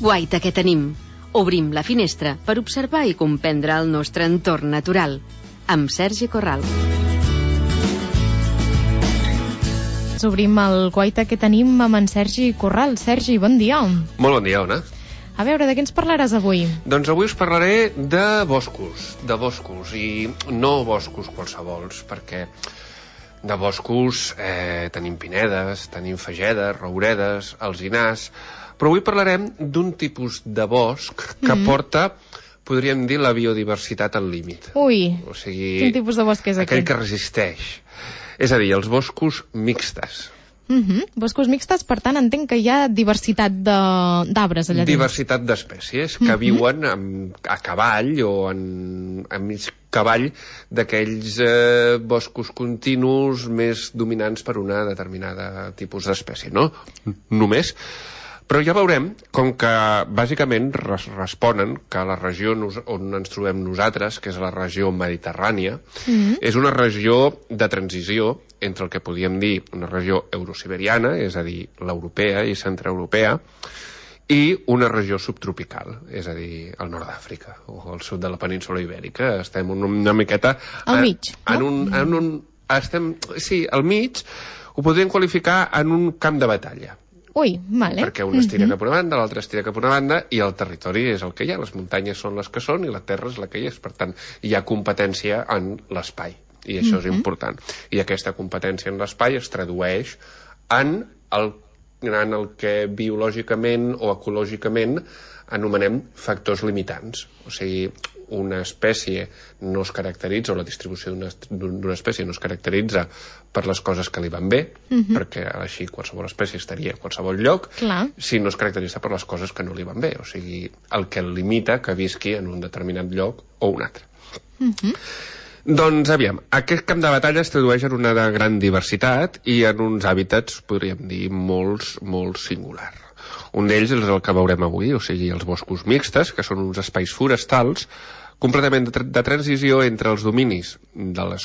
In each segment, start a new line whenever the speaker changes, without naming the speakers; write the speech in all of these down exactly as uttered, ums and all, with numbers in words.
Guaita que tenim. Obrim la finestra per observar i comprendre el nostre entorn natural. Amb Sergi Corral.
Obrim el Guaita que tenim amb en Sergi Corral. Sergi, bon dia.
Molt bon dia, Ona.
A veure, de què ens parlaràs avui?
Doncs avui us parlaré de boscos, de boscos, i no boscos qualsevols, perquè de boscos eh, tenim pinedes, tenim fagedes, rouredes, alzinars, però avui parlarem d'un tipus de bosc que mm-hmm. porta, podríem dir, la biodiversitat al límit.
Ui,
o sigui,
quin tipus de bosc és
aquell
aquest?
Aquell que resisteix. És a dir, els boscos mixtes.
Mm-hmm. Boscos mixtes, per tant, entenc que hi ha diversitat d'arbres allà dins.
Diversitat d'espècies que mm-hmm. viuen amb, a cavall o en, en mig cavall d'aquells eh, boscos continus més dominants per una determinada tipus d'espècie, no? Només. Però ja veurem com que bàsicament res responen que la regió nos on ens trobem nosaltres, que és la regió mediterrània, mm-hmm. és una regió de transició entre el que podríem dir una regió eurosiberiana, és a dir, l'europea i centreeuropea, i una regió subtropical, és a dir, el nord d'Àfrica o el sud de la península ibèrica. Estem una, una miqueta...
Al mig,
en, en, un, en un... Estem, sí, al mig ho podríem qualificar en un camp de batalla.
Ui, vale.
Perquè un estira mm-hmm. cap a una banda, l'altre estira cap a una banda, i el territori és el que hi ha, les muntanyes són les que són i la terra és la que hi és. Per tant, hi ha competència en l'espai, i això mm-hmm. és important. I aquesta competència en l'espai es tradueix en el, en el que biològicament o ecològicament anomenem factors limitants. O sigui, una espècie no es caracteritza, o la distribució d'una espècie no es caracteritza per les coses que li van bé, uh-huh. perquè així qualsevol espècie estaria a qualsevol lloc,
clar.
Si no es caracteritza per les coses que no li van bé, o sigui, el que el limita que visqui en un determinat lloc o un altre.
Uh-huh.
Doncs, aviam, aquest camp de batalla es tradueix en una gran diversitat i en uns hàbitats, podríem dir, molts, molt singular. Un d'ells és el que veurem avui, o sigui, els boscos mixtes, que són uns espais forestals completament de, tra de transició entre els dominis de les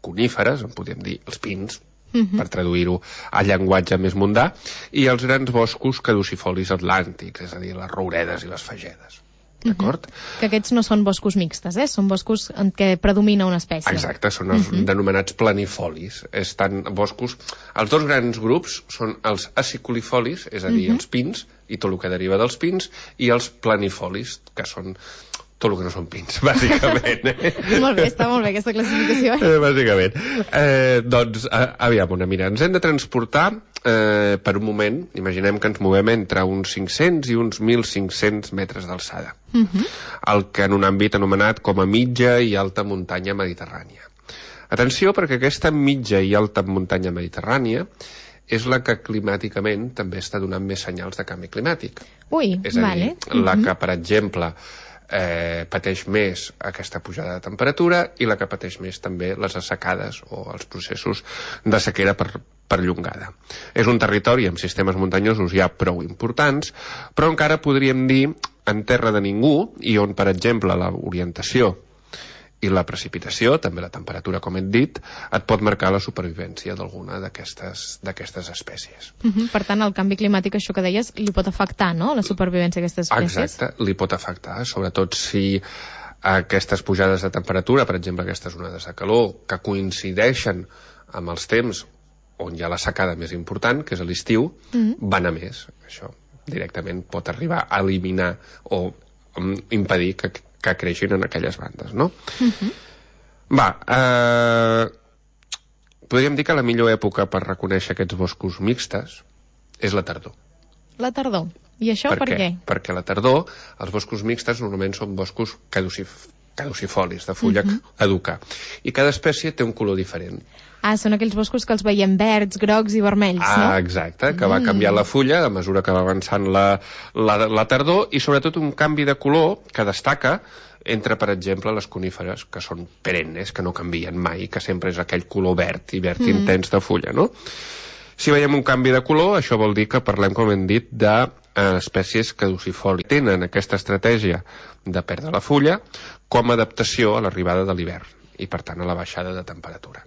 coníferes, en podríem dir els pins, uh-huh. per traduir-ho a llenguatge més mundà, i els grans boscos caducifolis atlàntics, és a dir, les rouredes i les fagedes. D'acord?
Uh-huh. Que aquests no són boscos mixtes, eh? Són boscos en què predomina una espècie.
Exacte, són els uh-huh. denomenats planifolis. Estan boscos... Els dos grans grups són els acicolifolis, és a dir, uh-huh. els pins, i tot el que deriva dels pins, i els planifolis, que són tot el que no són pins, bàsicament. Eh?
Molt bé, està molt bé aquesta classificació.
Eh, bàsicament. Eh, doncs, a, aviam, una mira, ens hem de transportar eh, per un moment, imaginem que ens movem entre uns cinc-cents i uns mil cinc-cents metres d'alçada, uh-huh. el que en un àmbit anomenat com a mitja i alta muntanya mediterrània. Atenció, perquè aquesta mitja i alta muntanya mediterrània és la que climàticament també està donant més senyals de canvi climàtic.
Ui,
és a
vale.
dir, la que, per exemple, eh, pateix més aquesta pujada de temperatura i la que pateix més també les assecades o els processos de sequera per, perllongada. És un territori amb sistemes muntanyosos ja prou importants, però encara podríem dir en terra de ningú, i on, per exemple, l'orientació i la precipitació, també la temperatura, com hem dit, et pot marcar la supervivència d'alguna d'aquestes d'aquestes espècies.
Uh-huh. Per tant, el canvi climàtic, això que deies, li pot afectar, no?, la supervivència d'aquestes espècies?
Exacte, li pot afectar, sobretot si aquestes pujades de temperatura, per exemple, aquestes onades de calor, que coincideixen amb els temps on hi ha la secada més important, que és a l'estiu, uh-huh. van a més. Això directament pot arribar a eliminar o um, impedir que que creixin en aquelles bandes, no? Uh-huh. Va, eh, podríem dir que la millor època per reconèixer aquests boscos mixtes és la tardor.
La tardor. I això per, per què? què?
Perquè a la tardor els boscos mixtes normalment són boscos caducif caducifolis, de fulla uh-huh. caduca. I cada espècie té un color diferent.
Ah, són aquells boscos que els veiem verds, grocs i vermells,
ah,
no?
Ah, exacte, que va canviar la fulla a mesura que va avançant la, la, la tardor, i sobretot un canvi de color que destaca entre, per exemple, les coníferes, que són perennes, que no canvien mai, que sempre és aquell color verd i verd mm. intens de fulla, no? Si veiem un canvi de color, això vol dir que parlem, com hem dit, de espècies caducifòlies. Tenen aquesta estratègia de perdre la fulla com a adaptació a l'arribada de l'hivern i, per tant, a la baixada de temperatura.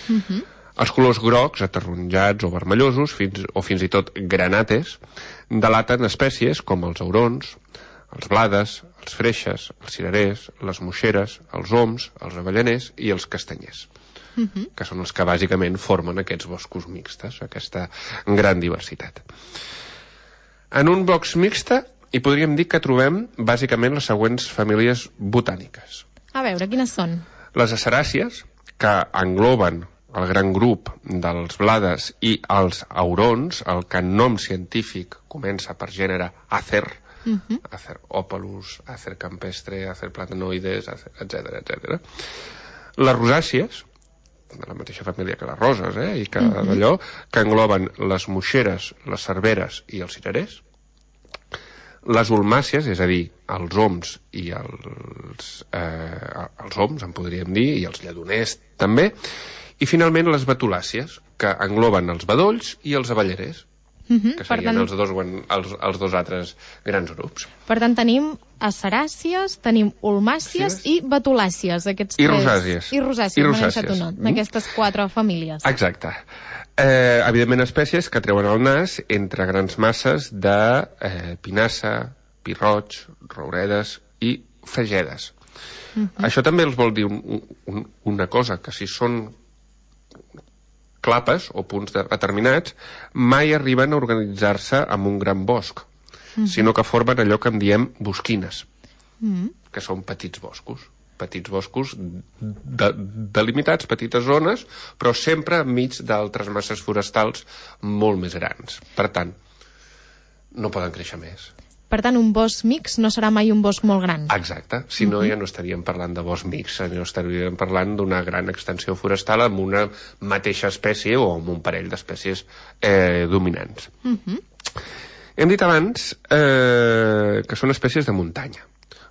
Uh-huh.
Els colors grocs, ataronjats o vermellosos, fins, o fins i tot granates, delaten espècies com els aurons, els blades, els freixes, els cirerers, les moixeres, els oms, els avellaners i els castanyers,
uh-huh.
que són els que bàsicament formen aquests boscos mixtes, aquesta gran diversitat. En un bosc mixte hi podríem dir que trobem bàsicament les següents famílies botàniques.
A veure, quines són?
Les aceràcies, que engloben el gran grup dels blades i els aurons, el que en nom científic comença per gènere Acer, uh-huh. Acer opalus, Acer campestre, Acer platanoides, etcètera, etcètera. Les rosàcies, de la mateixa família que les roses, eh, i que uh-huh. d'allò, que engloben les moixeres, les cerveres i els cirerers. Les ulmàcies, és a dir, els oms i els, eh, els oms, en podríem dir, i els lledoners també. I finalment les betulàcies, que engloben els bedolls i els avellerers, uh-huh. que serien tant... els, dos, els, els dos altres grans grups.
Per tant, tenim aceràcies, tenim ulmàcies sí. i betulàcies. Aquests
I
tres...
rosàcies.
I rosàcies,
I
m'he deixat un not, mm. aquestes quatre famílies.
Exacte. Eh, evidentment, espècies que treuen el nas entre grans masses de eh, pinassa, pirroig, rouredes i fagedes. Uh-huh. Això també els vol dir un, un, una cosa, que si són clapes o punts determinats, mai arriben a organitzar-se en un gran bosc, uh-huh. sinó que formen allò que en diem bosquines, uh-huh. que són petits boscos, petits boscos de, delimitats, petites zones, però sempre enmig d'altres masses forestals molt més grans. Per tant, no poden créixer més.
Per tant, un bosc mix no serà mai un bosc molt gran.
Exacte, si no uh-huh. ja no estaríem parlant de bosc mix, no estaríem parlant d'una gran extensió forestal amb una mateixa espècie o amb un parell d'espècies eh, dominants. Uh-huh. Hem dit abans eh, que són espècies de muntanya.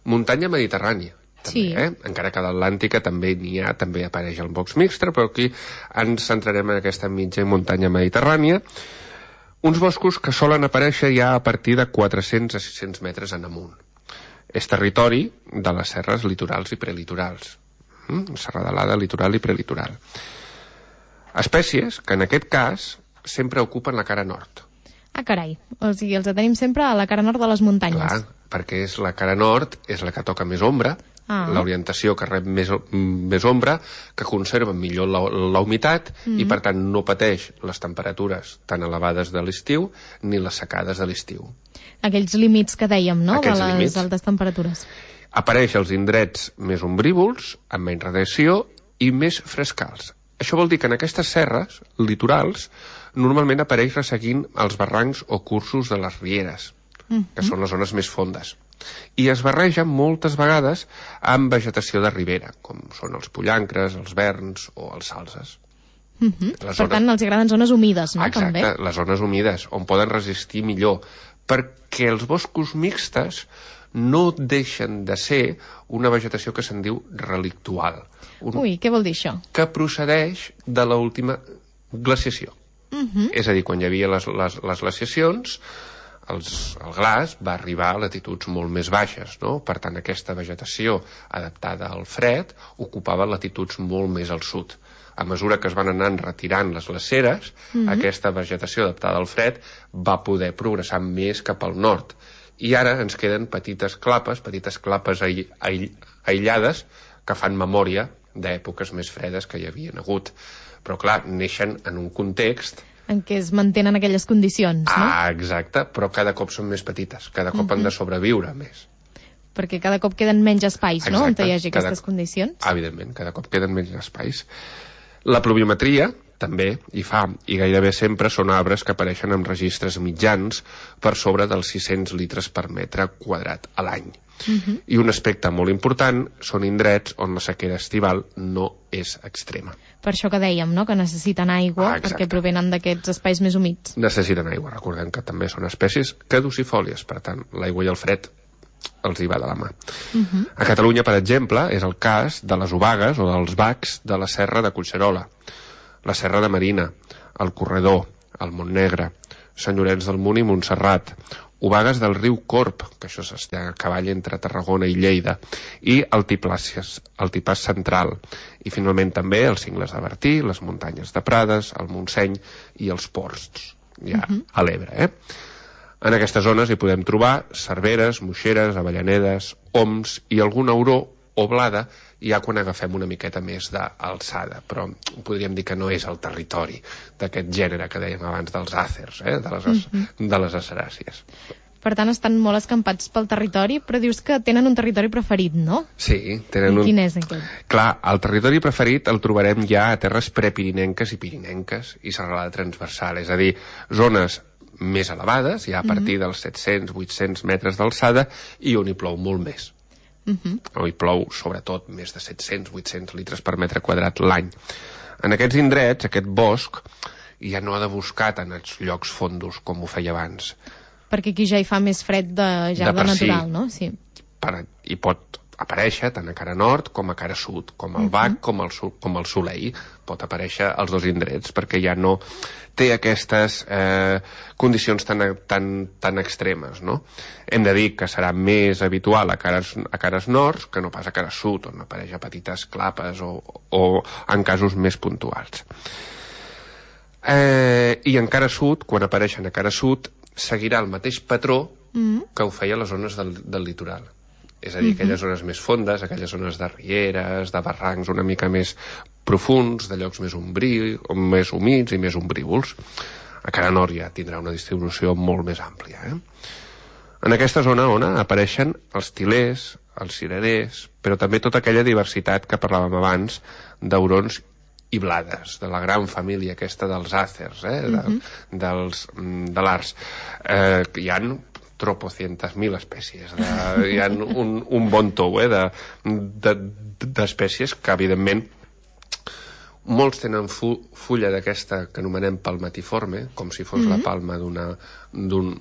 Muntanya mediterrània, també, sí. eh? Encara que a l'Atlàntica també n'hi ha, també apareix el bosc mixte, però aquí ens centrarem en aquesta mitja muntanya mediterrània. Uns boscos que solen aparèixer ja a partir de quatre-cents a sis-cents metres en amunt. És territori de les serres litorals i prelitorals. Mm? Serralada, litoral i prelitoral. Espècies que en aquest cas sempre ocupen la cara nord.
Ah, carai. O sigui, els tenim sempre a la cara nord de les muntanyes.
Clar, perquè és la cara nord, és la que toca més ombra, ah. l'orientació que rep més, més ombra, que conserva millor la, la humitat mm-hmm. i per tant no pateix les temperatures tan elevades de l'estiu ni les secades de l'estiu.
Aquells límits que dèiem, no?,
Aquests
de les
límits.
altes temperatures.
Apareix als indrets més ombrívols, amb menys radiació i més frescals. Això vol dir que en aquestes serres litorals normalment apareix resseguint els barrancs o cursos de les rieres, mm-hmm. que són les zones més fondes. I es barreja moltes vegades amb vegetació de ribera, com són els pollancres, els verns o els salzes.
Mm-hmm. Per zones... tant, els agraden zones humides, no?
Exacte,
també.
Les zones humides, on poden resistir millor, perquè els boscos mixtes no deixen de ser una vegetació que se'n diu relictual. Un...
Ui, què vol dir això?
Que procedeix de l'última glaciació.
Mm-hmm.
És a dir, quan hi havia les, les, les glaciacions, els, el glaç va arribar a latituds molt més baixes, no? Per tant, aquesta vegetació adaptada al fred ocupava latituds molt més al sud. A mesura que es van anar retirant les glaceres, mm-hmm. aquesta vegetació adaptada al fred va poder progressar més cap al nord. I ara ens queden petites clapes, petites clapes aï aï aïllades que fan memòria d'èpoques més fredes que hi havien hagut. Però, clar, neixen en un context...
En què es mantenen aquelles condicions, no?
Ah, exacte, però cada cop són més petites, cada cop mm-hmm. han de sobreviure més.
Perquè cada cop queden menys espais,
exacte,
no?, on hi hagi aquestes
cada...
condicions.
Evidentment, cada cop queden menys espais. La pluviometria també hi fa, i gairebé sempre són arbres que apareixen amb registres mitjans per sobre dels sis-cents litres per metre quadrat a l'any. Uh-huh. I un aspecte molt important són indrets on la sequera estival no és extrema.
Per això que dèiem, no?, que necessiten aigua,
ah,
perquè provenen d'aquests espais més humits.
Necessiten aigua, recordem que també són espècies caducifòlies, per tant, l'aigua i el fred els hi va de la mà. Uh-huh. A Catalunya, per exemple, és el cas de les obagues o dels bacs de la Serra de Collserola, la Serra de Marina, el Corredor, el Montnegre, Sant Llorenç del Munt i Montserrat, Obagues del riu Corb, que això està a cavall entre Tarragona i Lleida, i Altiplàcies, Altipàs Central, i finalment també els Cingles de Bertí, les muntanyes de Prades, el Montseny i els Ports, ja uh-huh. a l'Ebre. Eh? En aquestes zones hi podem trobar cerveres, moixeres, avellanedes, oms i algun auró o blada, ja quan agafem una miqueta més d'alçada, però podríem dir que no és el territori d'aquest gènere que dèiem abans dels àcers, eh? de, les, mm-hmm. de les aceràcies.
Per tant, estan molt escampats pel territori, però dius que tenen un territori preferit, no?
Sí, tenen un...
I quin és aquest?
Clar, el territori preferit el trobarem ja a terres prepirinenques i pirinenques i serralada transversal, és a dir, zones més elevades, ja a partir mm-hmm. dels set-cents a vuit-cents metres d'alçada, i on hi plou molt més. Uh-huh. On hi plou sobretot més de set-cents a vuit-cents litres per metre quadrat l'any. En aquests indrets, aquest bosc ja no ha de buscar tant els llocs fondos com ho feia abans,
perquè aquí ja hi fa més fred de, ja de, de natural, sí. No? Sí.
Per, hi pot aparèixer tant a cara nord com a cara sud, com el Bac, uh-huh. com, el, com el Soleil, pot aparèixer als dos indrets, perquè ja no té aquestes eh, condicions tan, tan, tan extremes, no? Hem de dir que serà més habitual a cares, a cares nord que no pas a cares sud, on apareix a petites clapes o, o en casos més puntuals. Eh, I en cara sud, quan apareixen a cara sud, seguirà el mateix patró mm. que ho feia a les zones del, del litoral. És a dir, aquelles mm-hmm. zones més fondes, aquelles zones de rieres, de barrancs una mica més profuns, de llocs més ombrí, més humits i més ombrívols. A cara nord ja tindrà una distribució molt més àmplia. Eh? En aquesta zona on apareixen els tilers, els cirerers, però també tota aquella diversitat que parlàvem abans d'aurons i blades, de la gran família aquesta dels àcers, eh? de, mm-hmm. dels, de l'ars. Eh, hi ha tropocientas mil espècies. De, hi ha un, un bon tou eh, d'espècies de, de, que, evidentment, molts tenen fu fulla d'aquesta que anomenem palmatiforme, com si fos mm-hmm. la palma d'una d'un,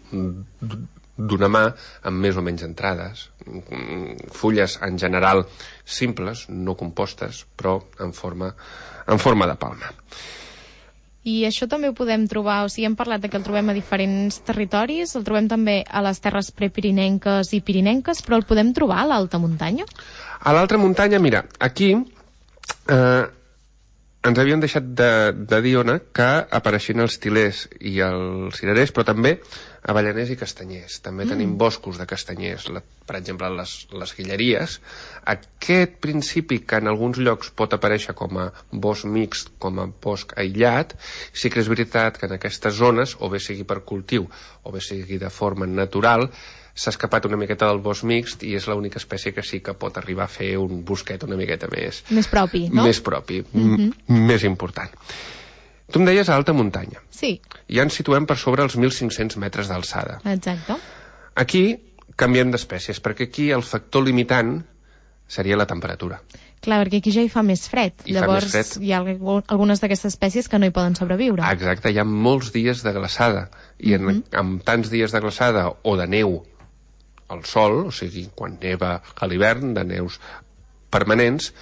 d'una mà, amb més o menys entrades. Fulles, en general, simples, no compostes, però en forma, en forma de palma.
I això també ho podem trobar, o sigui, hem parlat de que el trobem a diferents territoris, el trobem també a les terres prepirinenques i pirinenques, però el podem trobar a l'alta muntanya?
A l'alta muntanya, mira, aquí eh, ens havien deixat de, de dir, Ona, que apareixien els tilers i els cirerers, però també avellaners i castanyers. També mm. tenim boscos de castanyers, la, per exemple, les, les guilleries. Aquest principi, que en alguns llocs pot aparèixer com a bosc mixt, com a bosc aïllat, sí que és veritat que en aquestes zones, o bé sigui per cultiu, o bé sigui de forma natural, s'ha escapat una miqueta del bosc mixt i és l'única espècie que sí que pot arribar a fer un bosquet una miqueta més...
Més propi, no?
Més propi, mm-hmm. més important. Tu em deies a alta muntanya.
Sí.
Ja ens situem per sobre els mil cinc-cents metres d'alçada.
Exacte.
Aquí canviem d'espècies, perquè aquí el factor limitant seria la temperatura.
Clar, perquè aquí ja hi fa més fred.
I
Llavors
més fred.
Hi ha algunes d'aquestes espècies que no hi poden sobreviure.
Exacte, hi ha molts dies de glaçada. I en, mm-hmm. amb tants dies de glaçada o de neu al sol, o sigui, quan neva a l'hivern, de neus permanents,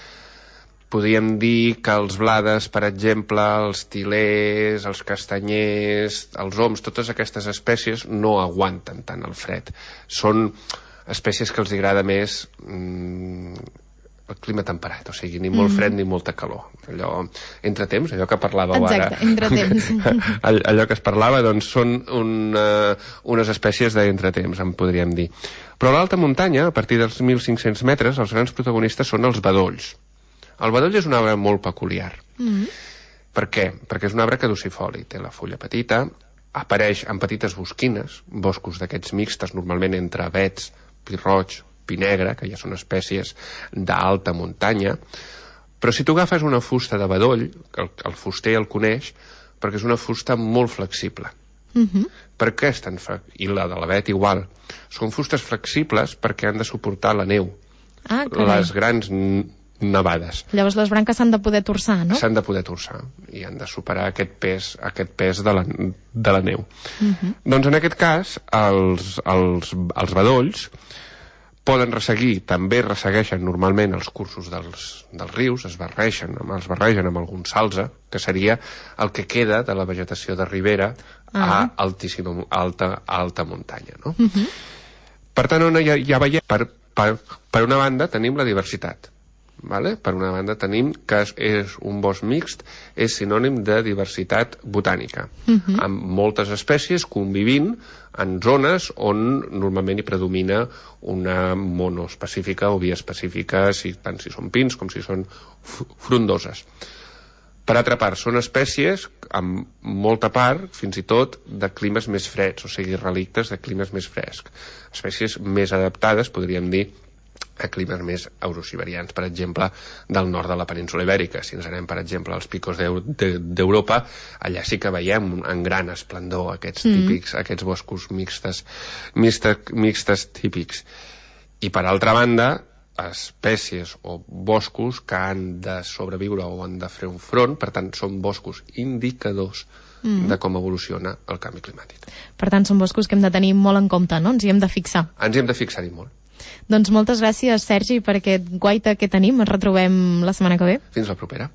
podríem dir que els blades, per exemple, els tilers, els castanyers, els oms, totes aquestes espècies no aguanten tant el fred. Són espècies que els agrada més mm, el clima temperat, o sigui, ni molt fred mm. ni molta calor. Allò, entre temps, allò que parlàveu
Exacte,
ara.
entre temps.
Allò que es parlava, doncs, són un, uh, unes espècies d'entretemps, en podríem dir. Però a l'alta muntanya, a partir dels mil cinc-cents metres, els grans protagonistes són els bedolls. El bedoll és un arbre molt peculiar. Mm. Per què? Perquè és un arbre caducifoli, té la fulla petita, apareix en petites bosquines, boscos d'aquests mixtes, normalment entre avets, pi roig, pi negre, que ja són espècies d'alta muntanya, però si tu agafes una fusta de bedoll, el, el fuster el coneix, perquè és una fusta molt flexible. Mm-hmm. Per què és tan flexible? I la de l'avet igual. Són fustes flexibles perquè han de suportar la neu.
Ah,
les grans nevades.
Llavors les branques s'han de poder torçar, no?
S'han de poder torçar i han de superar aquest pes, aquest pes de, la, de la neu. Uh-huh. Doncs en aquest cas, els, els, els bedolls poden resseguir, també ressegueixen normalment els cursos dels, dels rius, es barregen, els barregen amb algun salze, que seria el que queda de la vegetació de ribera ah. a altíssima, alta, alta muntanya, no? Uh-huh. Per tant, on ja, ja veiem, per, per, per una banda tenim la diversitat, vale? Per una banda tenim que és, és un bosc mixt, és sinònim de diversitat botànica, uh-huh. amb moltes espècies convivint en zones on normalment hi predomina una monoespecífica o biespecífica, si, tant si són pins com si són frondoses. Per altra part, són espècies amb molta part, fins i tot, de climes més freds, o sigui, relictes de climes més frescs. Espècies més adaptades, podríem dir, a climes més eurosiberians, per exemple, del nord de la península Ibèrica. Si ens anem, per exemple, als picos d'Europa, allà sí que veiem en gran esplendor aquests típics, mm. aquests boscos mixtes, mixtes, mixtes típics. I per altra banda, espècies o boscos que han de sobreviure o han de fer un front, per tant, són boscos indicadors mm. de com evoluciona el canvi climàtic.
Per tant, són boscos que hem de tenir molt en compte, no? Ens hi hem de fixar.
Ens hi hem de fixar-hi molt.
Doncs moltes gràcies, Sergi, per aquest guaita que tenim. Ens retrobem la setmana que ve.
Fins la propera.